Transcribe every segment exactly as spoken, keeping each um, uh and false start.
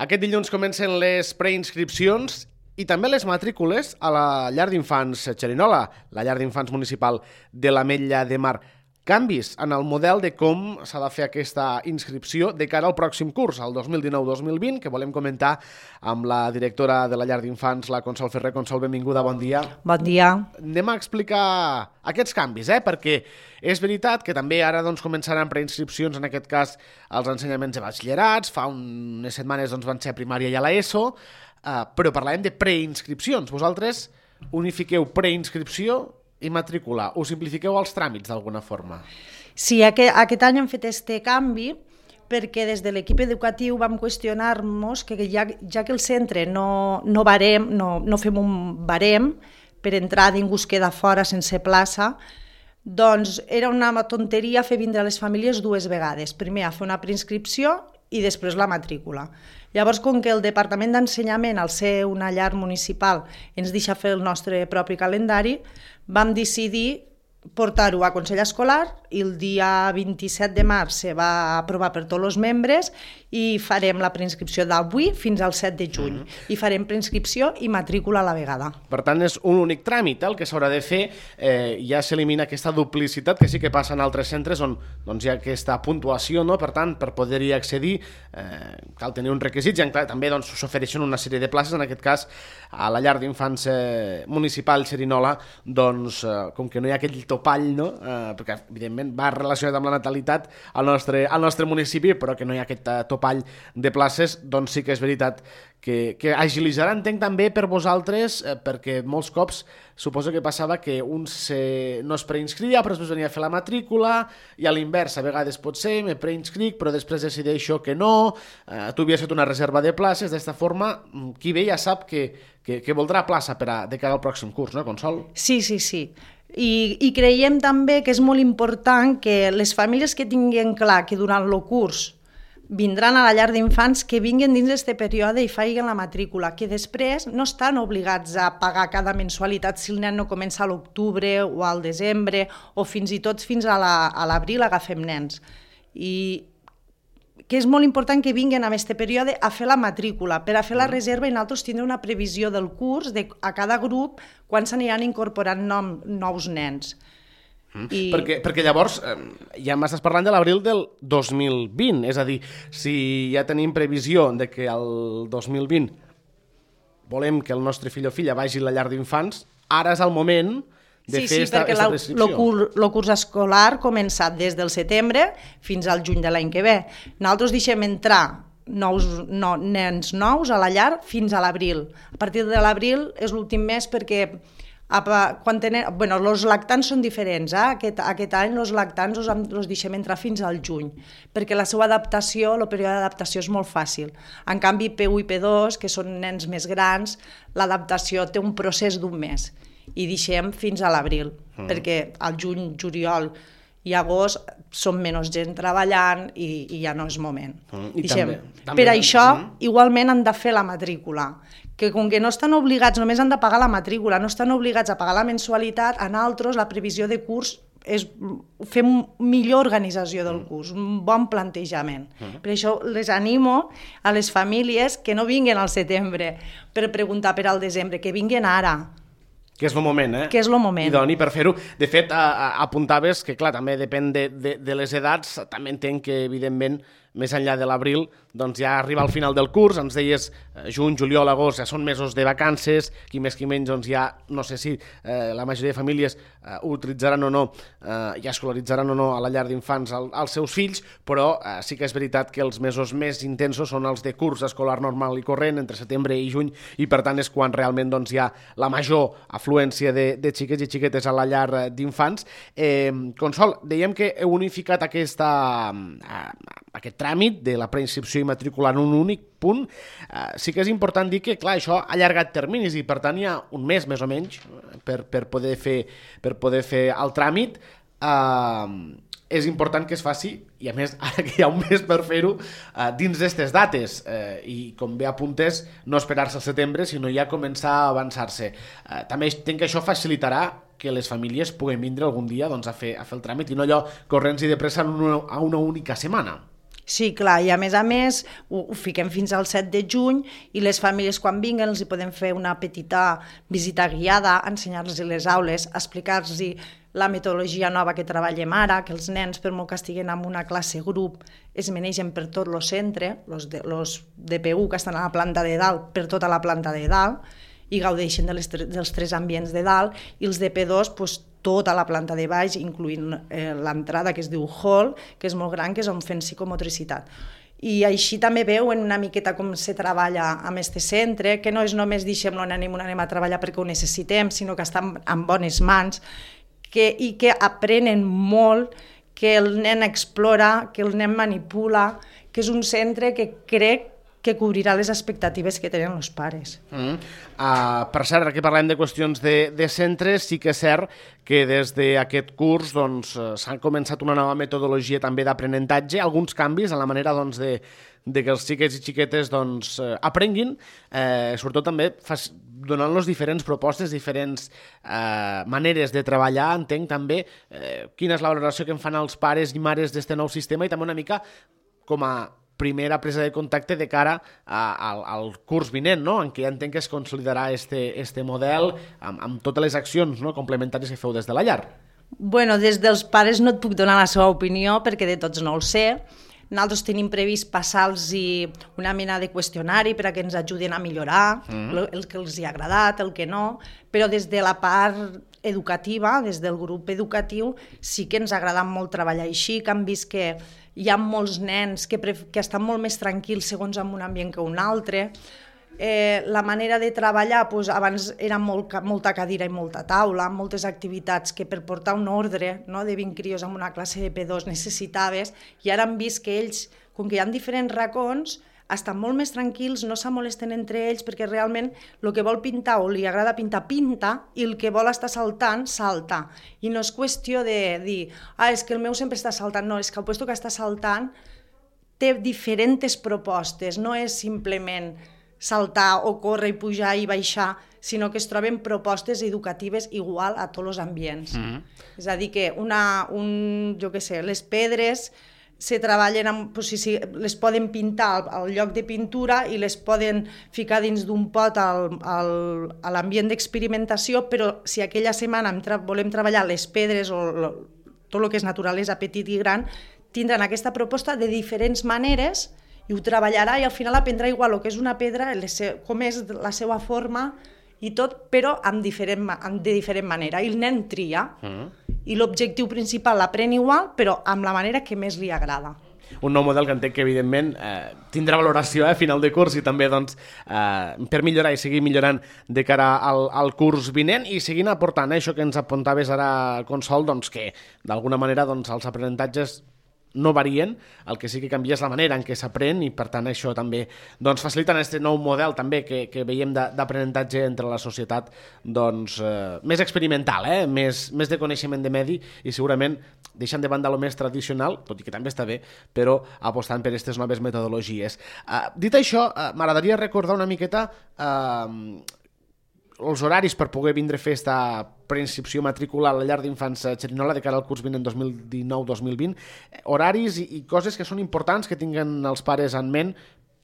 Aquest dilluns comencen les preinscripcions i també les matrícules a la llar d'infants Xerinola, la llar d'infants municipal de l'Ametlla de Mar. Canvis en el model de com s'ha de fer aquesta inscripció de cara al pròxim curs, el dos mil dinou dos mil vint, que volem comentar amb la directora de la llar d'infants, la Consol Ferrer. Consol, benvinguda, bon dia. Bon dia. Anem a explicar aquests canvis, eh? Perquè és veritat que també ara doncs, començaran preinscripcions, en aquest cas, als ensenyaments de batxillerats, fa unes setmanes doncs, van ser a primària i a l'ESO, eh, però parlàvem de preinscripcions. Vosaltres unifiqueu preinscripció i matrícula, us simplifiqueu els tràmits d'alguna forma? Sí, aquest, aquest any hem fet este canvi perquè des de l'equip educatiu vam qüestionar-nos que ja, ja que el centre no, no, barem, no, no fem un barem per entrar, ningú es queda fora sense plaça, doncs era una tonteria fer vindre les famílies dues vegades, primer a fer una preinscripció i després la matrícula. Llavors, com que el Departament d'Ensenyament, al ser una llar municipal, ens deixa fer el nostre propi calendari, vam decidir portar-ho a Consell Escolar i el dia vint-i-set de març se va aprovar per tots els membres i farem la preinscripció d'avui fins al set de juny. Mm-hmm. I farem preinscripció i matrícula a la vegada. Per tant, és un únic tràmit el que s'haurà de fer. Eh, ja s'elimina aquesta duplicitat que sí que passa en altres centres on doncs, hi ha aquesta puntuació, no? Per tant, per poder-hi accedir eh, cal tenir uns requisits i clar, també doncs, s'ofereixen una sèrie de places, en aquest cas a la llar d'infants eh, municipal Xerinola, doncs, eh, com que no hi ha aquell topall, no? eh, perquè evidentment va relacionat amb la natalitat al nostre, al nostre municipi, però que no hi ha aquest topall de places, doncs sí que és veritat que, que agilitzarà, entenc també per vosaltres, eh, perquè molts cops suposo que passava que un se, no es preinscrivia, però després venia a fer la matrícula, i a l'invers, a vegades pot ser, me preinscric, però després decideixo que no, eh, tu havies fet una reserva de places, d'esta forma, qui ve ja sap que, que, que voldrà plaça per a, de cara al pròxim curs, no, Consol? Sí, sí, sí. I, I creiem també que és molt important que les famílies que tinguin clar que durant el curs vindran a la llar d'infants, que vinguin dins d'aquest període i facin la matrícula, que després no estan obligats a pagar cada mensualitat si el nen no comença a l'octubre o al desembre o fins i tot fins a l'abril agafem nens. I que és molt important que vinguin en aquest període a fer la matrícula, per a fer la reserva i nosaltres tindrem una previsió del curs de, a cada grup quan s'aniran incorporant nom, nous nens. Mm. I... Perquè, perquè llavors eh, ja m'estàs parlant de l'abril del dos mil vint, és a dir, si ja tenim previsió de que el dos mil vint volem que el nostre fill o filla vagi a la llar d'infants, ara és el moment de sí, fer sí, esta, perquè esta el prescripció. curs, curs escolar ha començat des del setembre fins al juny de l'any que ve. Nosaltres deixem entrar nous, no, nens nous a la llar fins a l'abril. A partir de l'abril és l'últim mes perquè quan tenen, bueno, els lactants són diferents, eh? aquest, aquest any els lactants els, els deixem entrar fins al juny, perquè la seva adaptació, el període d'adaptació és molt fàcil. En canvi, P u i P dos, que són nens més grans, l'adaptació té un procés d'un mes i deixem fins a l'abril, mm. perquè al juny, juliol i agost són menys gent treballant i, i ja no és moment. Mm. I també, també, per això, mm. igualment han de fer la matrícula, que com que no estan obligats, només han de pagar la matrícula, no estan obligats a pagar la mensualitat, en altres la previsió de curs és fer millor organització del curs, un bon plantejament. Mm. Per això les animo a les famílies que no vinguin al setembre per preguntar per al desembre, que vinguin ara. Que és el moment, eh? Que és el moment. Idoni per fer-ho. De fet, a, a, apuntaves que, clar, també depèn de, de, de les edats, també entenc que, evidentment, més enllà de l'abril, doncs ja arriba al final del curs, ens deies eh, juny, juliol, agost, ja són mesos de vacances, qui més qui menys, doncs ja, no sé si eh, la majoria de famílies eh, utilitzaran o no, eh, ja escolaritzaran o no a la llar d'infants al, als seus fills, però eh, sí que és veritat que els mesos més intensos són els de curs escolar normal i corrent, entre setembre i juny, i per tant és quan realment doncs, hi ha la major afluència de, de xiquets i xiquetes a la llar d'infants. Eh, Consol, dèiem que heu unificat aquesta, eh, aquest tràmit de la preinscripció i matrícula en un únic punt. Uh, sí que és important dir que, clar, això ha allargat terminis i, per tant, hi ha un mes, més o menys, per, per, poder, fer, per poder fer el tràmit. Uh, és important que es faci, i a més, ara que hi ha un mes per fer-ho, uh, dins d'aquestes dates. Uh, I, com bé apuntes, no esperar-se al setembre, sinó ja començar a avançar-se. Uh, també entenc que això facilitarà que les famílies puguen vindre algun dia doncs, a, fer, a fer el tràmit i no allò corrents i de pressa a una, a una única setmana. Sí, clar, i a més a més ho, ho fiquem fins al set de juny i les famílies quan vinguen els hi podem fer una petita visita guiada, ensenyar-los les aules, explicar-los la metodologia nova que treballem ara, que els nens, per molt que estiguen en una classe grup, es manegen per tot el centre, els de, los de P U que estan a la planta de dalt, per tota la planta de dalt, i gaudeixen de les, dels tres ambients de dalt, i els de P dos, doncs, tota la planta de baix, incloent eh, l'entrada que es diu hall, que és molt gran, que és on fem psicomotricitat. I així també veuen una miqueta com se treballa amb aquest centre, que no és només deixem-lo, anem, anem a treballar perquè ho necessitem, sinó que estan en bones mans, que, i que aprenen molt, que el nen explora, que el nen manipula, que és un centre que crec que cobrirà les expectatives que tenen els pares. Mm. Uh, per cert, aquí parlem de qüestions de, de centres, sí que és cert que des d'aquest curs doncs, s'ha començat una nova metodologia també d'aprenentatge, alguns canvis en la manera doncs, de, de que els xiquets i xiquetes doncs, aprenguin, eh, sobretot també fas, donant-los diferents propostes, diferents eh, maneres de treballar, entenc també eh, quina és la valoració que en fan els pares i mares d'aquest nou sistema i també una mica com a primera presa de contacte de cara a, a, al curs vinent, no? En què entenc que es consolidarà este, este model amb, amb totes les accions, no? Complementàries que feu des de la llar. Bueno, des dels pares no et puc donar la seva opinió perquè de tots no el sé. Nosaltres tenim previst passar-los una mena de qüestionari per a que ens ajuden a millorar mm. el que els hi ha agradat, el que no, però des de la part educativa, des del grup educatiu, sí que ens ha agradat molt treballar així, que han vist que hi ha molts nens que, que estan molt més tranquils segons en un ambient que un altre. Eh, la manera de treballar, doncs, abans era molt, molta cadira i molta taula, moltes activitats que per portar un ordre, no, de vint crios en una classe de P dos necessitaves, i ara han vist que ells, com que hi ha diferents racons, estan molt més tranquils, no s'amolesten entre ells, perquè realment el que vol pintar o li agrada pintar, pinta, i el que vol estar saltant, salta. I no és qüestió de dir, ah, és que el meu sempre està saltant, no, és que el puesto que està saltant té diferents propostes, no és simplement saltar o córrer i pujar i baixar, sinó que es troben propostes educatives igual a tots els ambients. Mm-hmm. És a dir, que una, un, jo què sé, les pedres se treballen, amb, doncs, si, si, les poden pintar al, al lloc de pintura i les poden ficar dins d'un pot al, al, a l'ambient d'experimentació, però si aquella setmana tra volem treballar les pedres o lo, tot el que és naturalesa petit i gran, tindran aquesta proposta de diferents maneres i ho treballarà i al final aprendrà igual el que és una pedra, com és la seva forma i tot, però amb diferent, amb de diferent manera. I el nen tria. Mm. I l'objectiu principal l'aprèn igual, però amb la manera que més li agrada. Un nou model que entenc que, evidentment, eh, tindrà valoració a eh, final de curs i també doncs, eh, per millorar i seguir millorant de cara al, al curs vinent i seguint aportant eh, això que ens apuntaves ara, Consol, doncs, que d'alguna manera doncs, els aprenentatges no varien, el que sí que canvia és la manera en què s'aprèn i per tant això també doncs, facilita aquest nou model també que, que veiem d'aprenentatge entre la societat doncs, eh, més experimental, eh? més, més de coneixement de medi i segurament deixant de banda el més tradicional, tot i que també està bé, però apostant per aquestes noves metodologies. Eh, dit això, eh, m'agradaria recordar una miqueta eh, els horaris per poder vindre a fer esta preinscripció matricular a la llar d'infants Xerinola de cara al curs vinent dos mil dinou dos mil vint, horaris i, i coses que són importants que tinguen els pares en ment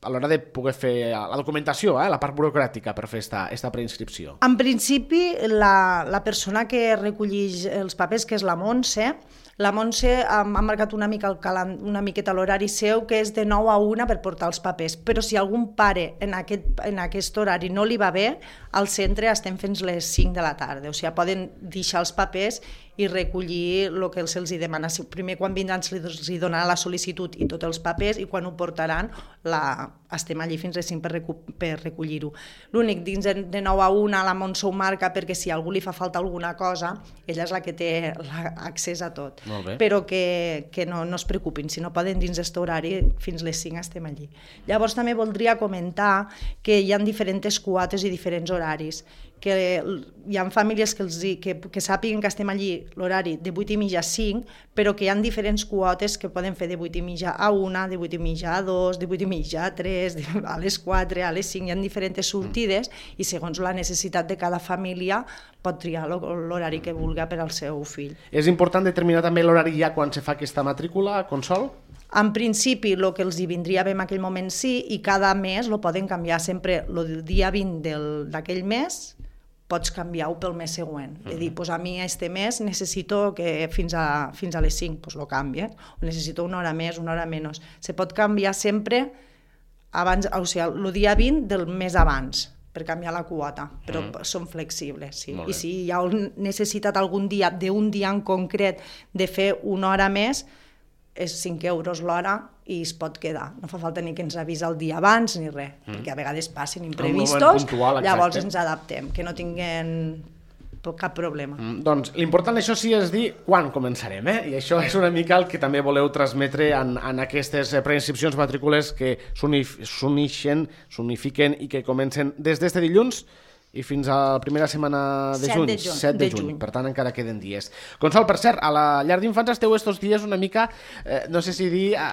a l'hora de poder fer la documentació, eh, la part burocràtica per fer esta, esta preinscripció. En principi, la, la persona que recollix els papers, que és la Montse, la Montse ha marcat una, mica el calan, una miqueta l'horari seu, que és de nou a una per portar els papers. Però si algun pare en aquest, en aquest horari no li va bé, al centre estem fins les cinc de la tarda. O sigui, poden deixar els papers i recollir el que se'ls demana. Primer, quan vindran, se'ls donarà la sol·licitud i tots els papers, i quan ho portaran, la... estem allí fins les cinc per, recu per recollir-ho. L'únic, dins de nou a una, la Montse ho marca perquè si a algú li fa falta alguna cosa, ella és la que té accés a tot. Però que, que no, no es preocupin, si no poden dins d'aquest horari, fins les cinc estem allí. Llavors també voldria comentar que hi ha diferents quotes i diferents horaris, que hi ha famílies que, els, que, que sàpiguen que estem allí l'horari de vuit i mitja a cinc, però que hi ha diferents quotes que poden fer de vuit i mitja a una, de vuit i mitja a dos, de vuit i mitja a tres, les, a les quatre, a les cinc, hi ha diferents sortides i segons la necessitat de cada família pot triar l'horari que vulgui per al seu fill. És important determinar també l'horari ja quan se fa aquesta matrícula a Consol? En principi, el que els hi vindria bé en aquell moment sí, i cada mes lo poden canviar sempre. El dia vint d'aquell mes pots canviar-ho pel mes següent. És a dir, pues a mi este mes necessito que fins a, fins a les cinc, pues lo canvien. O necessito una hora més, una hora menys. Se pot canviar sempre abans, o sigui, el dia vint del mes abans, per canviar la quota, però mm. són flexibles. Sí. I si hi ha necessitat algun dia, d'un dia en concret, de fer una hora més, és cinc euros l'hora i es pot quedar. No fa falta ni que ens avisa el dia abans ni res, mm. perquè a vegades passen imprevistos, puntual, llavors ens adaptem, que no tinguin cap problema. Mm, doncs l'important això sí és dir quan començarem, eh? I això és una mica el que també voleu transmetre en, en aquestes preinscripcions matrícules que s'unixen, s'unifiquen i que comencen des d'este dilluns i fins a la primera setmana de juny, set de juny, per tant encara queden dies. Consol, per cert, a la llar d'infants esteu estos dies una mica, eh, no sé si dir, eh,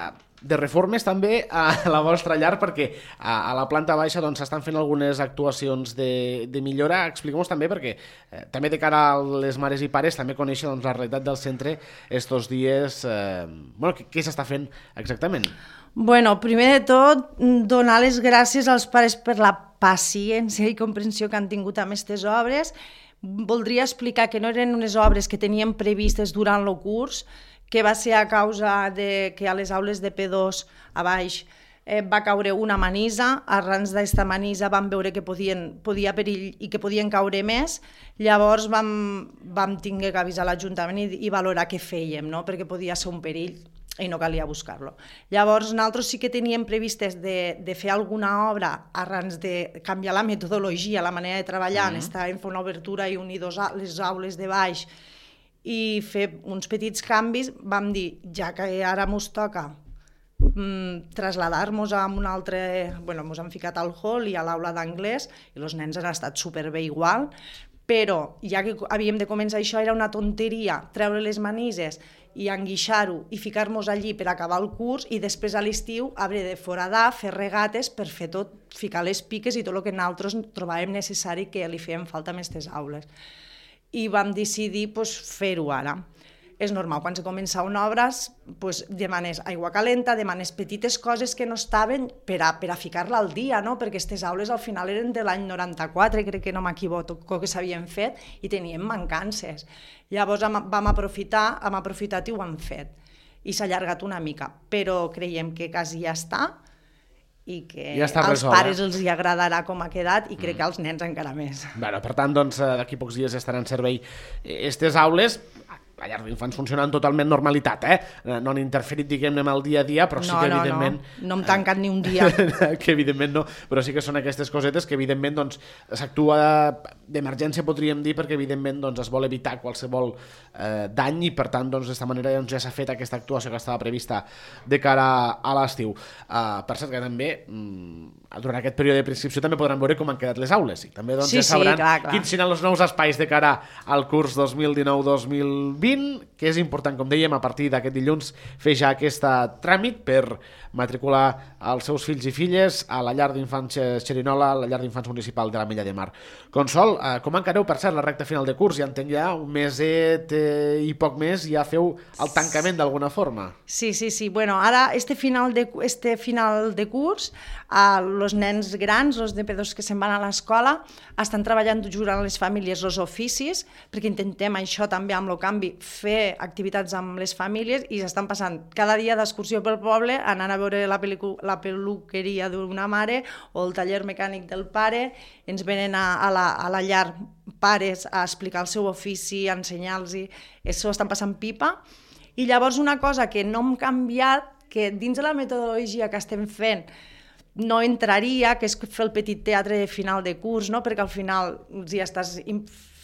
de reformes també a la vostra llar, perquè a, a la planta baixa doncs s'estan fent algunes actuacions de, de millora. Expliquem-nos també, perquè eh, també de cara a les mares i pares també conèixer doncs, la realitat del centre estos dies, eh, bueno, què, què s'està fent exactament? Bueno, primer de tot, donar les gràcies als pares per la paciència i comprensió que han tingut amb aquestes obres. Voldria explicar que no eren unes obres que teníem previstes durant el curs, que va ser a causa de que a les aules de P dos a baix eh, va caure una manissa. Arran d'aquesta manissa vam veure que podien, podia perill i que podien caure més. Llavors vam, vam tenir que avisar l'Ajuntament i, i valorar què fèiem, no? Perquè podia ser un perill i no calia buscar-lo. Llavors, nosaltres sí que teníem previstes de, de fer alguna obra arran de canviar la metodologia, la manera de treballar, mm. estàvem fent una obertura i unir dos, les aules de baix i fer uns petits canvis. Vam dir, ja que ara mos toca mm, traslladar-nos a un altre... Bueno, mos han ficat al hall i a l'aula d'anglès i els nens han estat superbé igual, però ja que havíem de començar això era una tonteria treure les manises i enguixar-ho i ficar-nos allí per acabar el curs i després a l'estiu haver de foradar, fer regates per fer tot, ficar les piques i tot el que nosaltres trobàvem necessari que li fèiem falta a aquestes aules. I vam decidir pues, fer-ho ara. És normal, quan se començaven obres, pues, demanes aigua calenta, demanes petites coses que no estaven per a, per a ficar-la al dia, no? Perquè aquestes aules al final eren de l'any noranta-quatre, crec que no m'equivoco, que s'havien fet, i teníem mancances. Llavors vam aprofitar, hem aprofitat i ho hem fet. I s'ha allargat una mica, però creiem que quasi ja està, i que ja als resolt, pares eh? els hi agradarà com ha quedat i crec mm. que als nens encara més. Bueno, per tant, doncs, d'aquí pocs dies estaran en servei aquestes aules. La llar d'infants funciona en totalment normalitat, eh? No han interferit, diguem-ne, amb el dia a dia, però sí no, que, no, evidentment... No, no hem tancat ni un dia. Que, evidentment, no, però sí que són aquestes cosetes que, evidentment, doncs, s'actua d'emergència, podríem dir, perquè, evidentment, doncs, es vol evitar qualsevol eh, dany i, per tant, doncs, d'esta manera doncs, ja s'ha fet aquesta actuació que estava prevista de cara a l'estiu. Uh, per cert, que també, mm, durant aquest període de prescripció, també podran veure com han quedat les aules i també doncs, sí, ja sabran sí, clar, clar. quins seran els nous espais de cara al curs dos mil dinou dos mil vint, que és important, com dèiem, a partir d'aquest dilluns fer ja aquest tràmit per matricular els seus fills i filles a la llar d'infants Xerinola, a la llar d'infants municipal de l'Ametlla de Mar. Consol, eh, com encareu, per cert, la recta final de curs? Ja entenc ja un meset eh, i poc més, ja feu el tancament d'alguna forma. Sí, sí, sí. Bueno, ara, este final de, este final de curs, els eh, nens grans, els de P dos que se'n van a l'escola, estan treballant jugant a les famílies els oficis, perquè intentem això també amb el canvi, fer activitats amb les famílies i s'estan passant cada dia d'excursió pel poble, anant a veure la, la peluqueria d'una mare o el taller mecànic del pare, ens venen a, a, la, a la llar pares a explicar el seu ofici, a ensenyar-los, això estan passant pipa. I llavors una cosa que no hem canviat, que dins de la metodologia que estem fent no entraria, que és fer el petit teatre de final de curs, no? Perquè al final ja estàs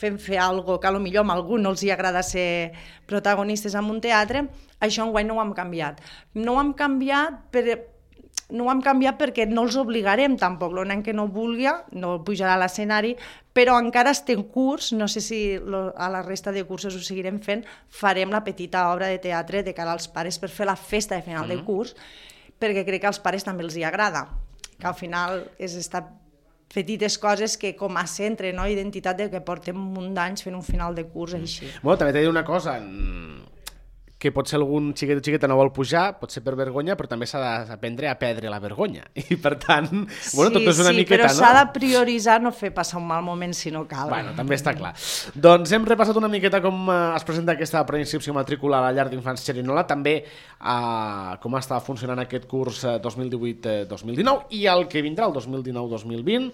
fent fer alguna cosa que potser a algú no els hi agrada ser protagonistes en un teatre, això enguany no ho hem canviat. No ho hem canviat per... No ho hem canviat perquè no els obligarem tampoc, el nen que no vulgui no pujarà a l'escenari, però encara estem curs, no sé si a la resta de cursos ho seguirem fent, farem la petita obra de teatre de cara als pares per fer la festa de final mm-hmm. de curs, perquè crec que als pares també els hi agrada. que al final és estar petites coses que com a centre, no? Identitat de que portem un munt d'anys fent un final de curs així. Bueno, també t'he de dir una cosa, que potser algun xiquet o xiqueta no vol pujar, pot ser per vergonya, però també s'ha d'aprendre a perdre la vergonya. I per tant, bueno, tot és una sí, miqueta, però no? s'ha de prioritzar no fer passar un mal moment si no cal. Bueno, també està clar. Doncs hem repassat una miqueta com es presenta aquesta preinscripció matrícula a la llar d'infants Xerinola, també eh, com està funcionant aquest curs dos mil divuit dos mil dinou i el que vindrà, el dos mil dinou dos mil vint.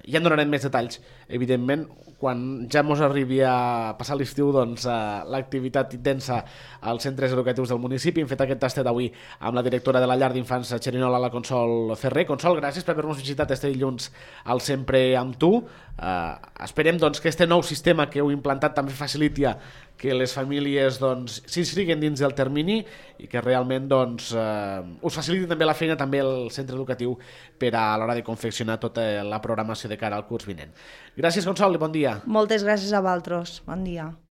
Ja en donarem més detalls, evidentment, quan ja mos arribi a passar l'estiu, doncs, eh, l'activitat intensa als centres educatius del municipi. Hem fet aquest tastet avui amb la directora de la llar d'infants Xerinola, la Consol Ferrer. Consol, gràcies per haver-nos visitat este dilluns al Sempre amb tu. Eh, esperem doncs, que este nou sistema que heu implantat també faciliti que les famílies doncs, s'inscriguen dins del termini i que realment doncs, eh, us faciliti també la feina també el centre educatiu per a l'hora de confeccionar tota la programació de cara al curs vinent. Gràcies, Consol, i bon dia. Moltes gràcies a vosaltres. Bon dia.